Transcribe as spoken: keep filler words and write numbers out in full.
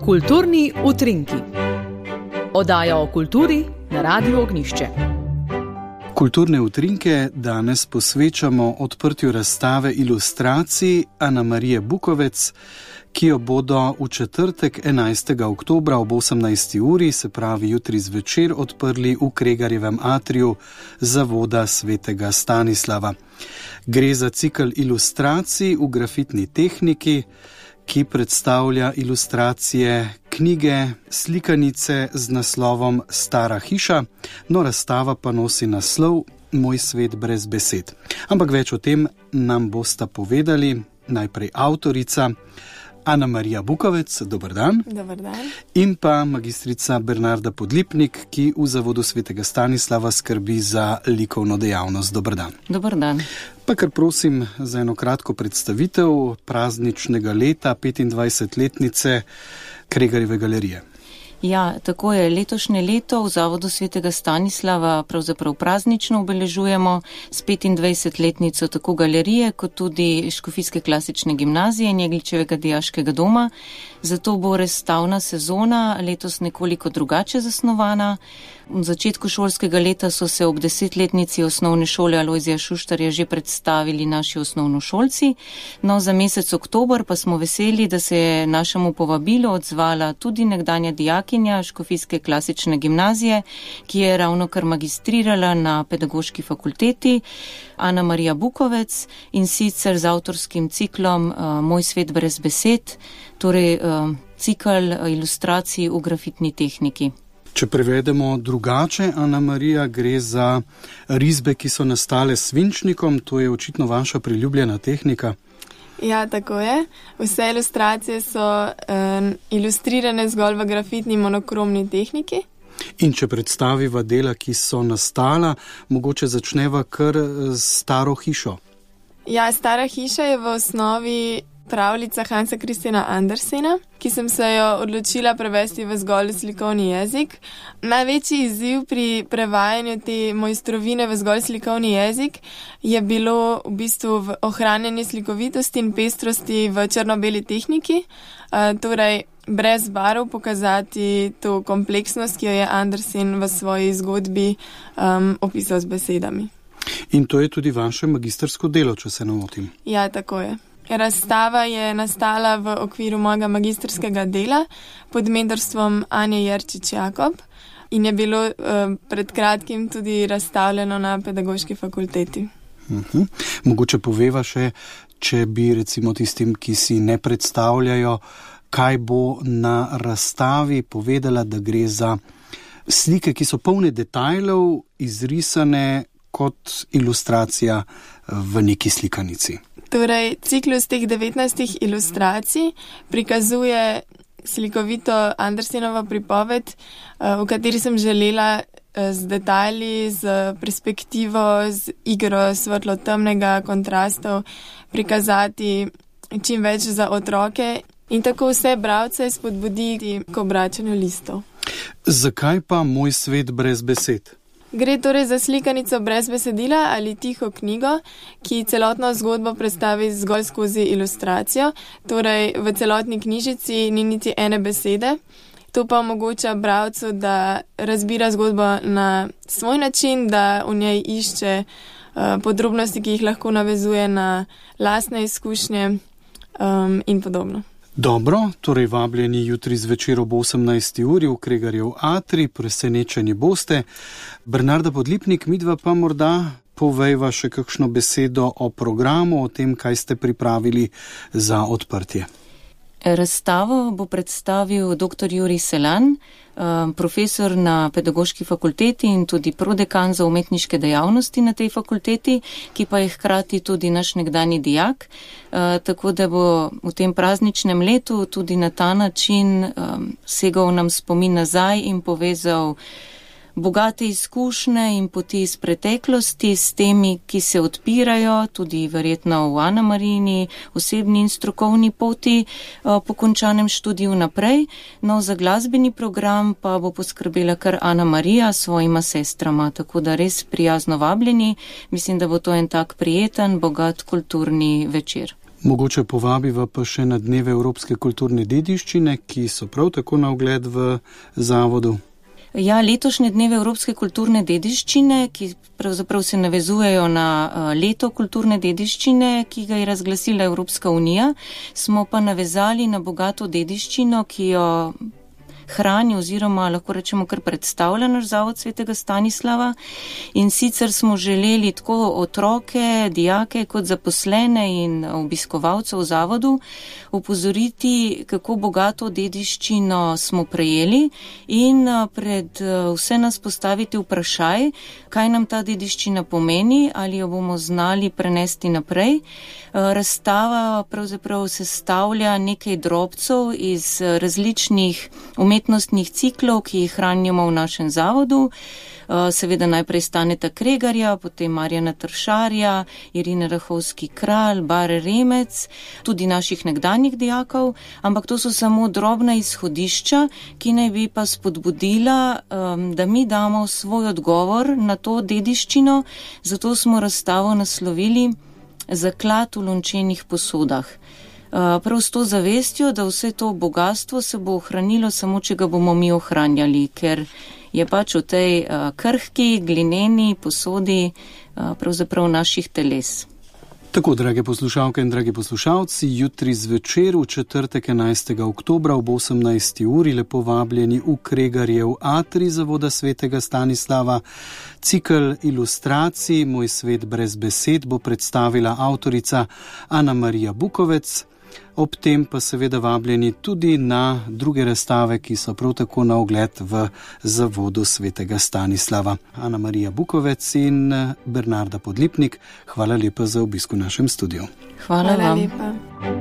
Kulturni utrinki. Oddaja o kulturi na Radiu Ognjišče. Kulturne utrinke danes posvečamo odprtju razstave ilustracij Ana Marije Bukovec, ki jo bodo v četrtek enajstega oktobra ob osemnajsti uri, se pravi jutri zvečer, odprli v Kregarjevem atriju Zavoda svetega Stanislava. Gre za cikel ilustracij v grafitni tehniki, ki predstavlja ilustracije knjige, slikanice z naslovom Stara hiša, no razstava pa nosi naslov Moj svet brez besed. Ampak več o tem nam bosta povedali najprej avtorica Ana Marija Bukovec, dober dan. Dober dan. In pa magistrica Bernarda Podlipnik, ki v Zavodu svetega Stanislava skrbi za likovno dejavnost. Dober dan. Dober dan. Pa kar prosim za eno kratko predstavitev prazničnega leta, petindvajsetletnice Kregarjeve galerije. Ja, tako je. Letošnje leto v Zavodu svetega Stanislava pravzaprav praznično obeležujemo s petindvajsetletnico tako galerije, kot tudi Škofijske klasične gimnazije in Jegličevega dijaškega doma. Zato bo razstavna sezona letos nekoliko drugače zasnovana. V začetku šolskega leta so se ob desetletnici osnovne šole Alojzija Šuštarja že predstavili naši osnovnošolci. No, za mesec oktober pa smo veseli, da se je našemu povabilu odzvala tudi nekdanja dijakinja Škofijske klasične gimnazije, ki je ravno kar magistrirala na pedagoški fakulteti, Ana Marija Bukovec, in sicer z avtorskim ciklom uh, Moj svet brez besed, torej uh, cikl ilustracij v grafitni tehniki. Če prevedemo drugače, Ana Marija, gre za risbe, ki so nastale s svinčnikom, to je očitno vaša priljubljena tehnika. Ja, tako je. Vse ilustracije so um, ilustrirane zgolj v grafitni monokromni tehniki. In če predstaviva dela, ki so nastala, mogoče začneva kar s Staro hišo. Ja, Stara hiša je v osnovi pravljica Hansa Christiana Andersena, ki sem se jo odločila prevesti v zgolj slikovni jezik. Največji izziv pri prevajanju te mojstrovine v zgolj slikovni jezik je bilo v bistvu v ohranjanje slikovitosti in pestrosti v črno-beli tehniki, torej brez barv pokazati to kompleksnost, ki jo je Andersen v svoji zgodbi um, opisal z besedami. In to je tudi vaše magistrsko delo, če se ne motim. Ja, tako je. Razstava je nastala v okviru mojega magistrskega dela pod mentorstvom Anje Jerčič-Jakob in je bilo uh, pred kratkim tudi razstavljeno na pedagoški fakulteti. Uh-huh. Mogoče poveva še, če bi recimo tistim, ki si ne predstavljajo, kaj bo na razstavi, povedala, da gre za slike, ki so polne detajlov, izrisane kot ilustracija v neki slikanici. Torej, ciklus teh devetnajstih ilustracij prikazuje slikovito Andersenovo pripoved, v kateri sem želela z detajli, z perspektivo, z igro svetlo-temnega kontrastov prikazati čim več za otroke in tako vse bralce spodbuditi k obračanju listov. Zakaj pa Moj svet brez besed? Gre torej za slikanico brez besedila ali tiho knjigo, ki celotno zgodbo predstavi zgolj skozi ilustracijo, torej v celotni knjižici ni niti ene besede. To pa omogoča bralcu, da razbira zgodbo na svoj način, da v njej išče uh, podrobnosti, ki jih lahko navezuje na lastne izkušnje um, in podobno. Dobro, torej vabljeni jutri zvečer ob osemnajsti uri v Kregarjev atrij, presenečeni boste. Bernarda Podlipnik, midva pa morda povejva še kakšno besedo o programu, o tem, kaj ste pripravili za odprtje. Razstavo bo predstavil dr. Jurij Selan, profesor na pedagoški fakulteti in tudi prodekan za umetniške dejavnosti na tej fakulteti, ki pa je hkrati tudi naš nekdani dijak, tako da bo v tem prazničnem letu tudi na ta način segal nam spomin nazaj in povezal bogate izkušnje in poti iz preteklosti s temi, ki se odpirajo, tudi verjetno v Ana Marijini osebni in strokovni poti po končanem študiju naprej. No, za glasbeni program pa bo poskrbela kar Ana Marija s svojima sestrama, tako da res prijazno vabljeni. Mislim, da bo to en tak prijeten, bogat kulturni večer. Mogoče povabiva pa še na dneve Evropske kulturne dediščine, ki so prav tako na ogled v zavodu. Ja, letošnje dneve Evropske kulturne dediščine, ki pravzaprav se navezujejo na leto kulturne dediščine, ki ga je razglasila Evropska unija, smo pa navezali na bogato dediščino, ki jo hrani oziroma lahko rečemo kar predstavlja naš zavod svetega Stanislava, in sicer smo želeli tako otroke, dijake kot zaposlene in obiskovalce v zavodu opozoriti, kako bogato dediščino smo prejeli in pred vse nas postaviti vprašaj, kaj nam ta dediščina pomeni, ali jo bomo znali prenesti naprej. Razstava pravzaprav sestavlja nekaj drobcev iz različnih umetnostnih ciklov, ki jih hranimo v našem zavodu. Seveda najprej Staneta Kregarja, potem Marjana Tršarja, Irine Rahovski-Kralj, Bare Remec, tudi naših nekdanjih dijakov, ampak to so samo drobna izhodišča, ki naj bi pa spodbudila, da mi damo svoj odgovor na to dediščino, zato smo razstavo naslovili Zaklad v lončenih posodah. Prav s to zavestjo, da vse to bogatstvo se bo ohranilo samo, če ga bomo mi ohranjali, ker je pač v tej krhki, glineni posodi pravzaprav naših teles. Tako, drage poslušalke in dragi poslušalci, jutri zvečer v četrtek enajstega oktobra ob osemnajsti uri lepo vabljeni v Kregarjev atrij zavoda svetega Stanislava. Cikel ilustracij Moj svet brez besed bo predstavila avtorica Ana Marija Bukovec. Ob tem pa seveda vabljeni tudi na druge razstave, ki so prav tako na ogled v zavodu svetega Stanislava. Ana Marija Bukovec in Bernarda Podlipnik, hvala lepa za obisk v našem studiu. Hvala, hvala vam. Lepa.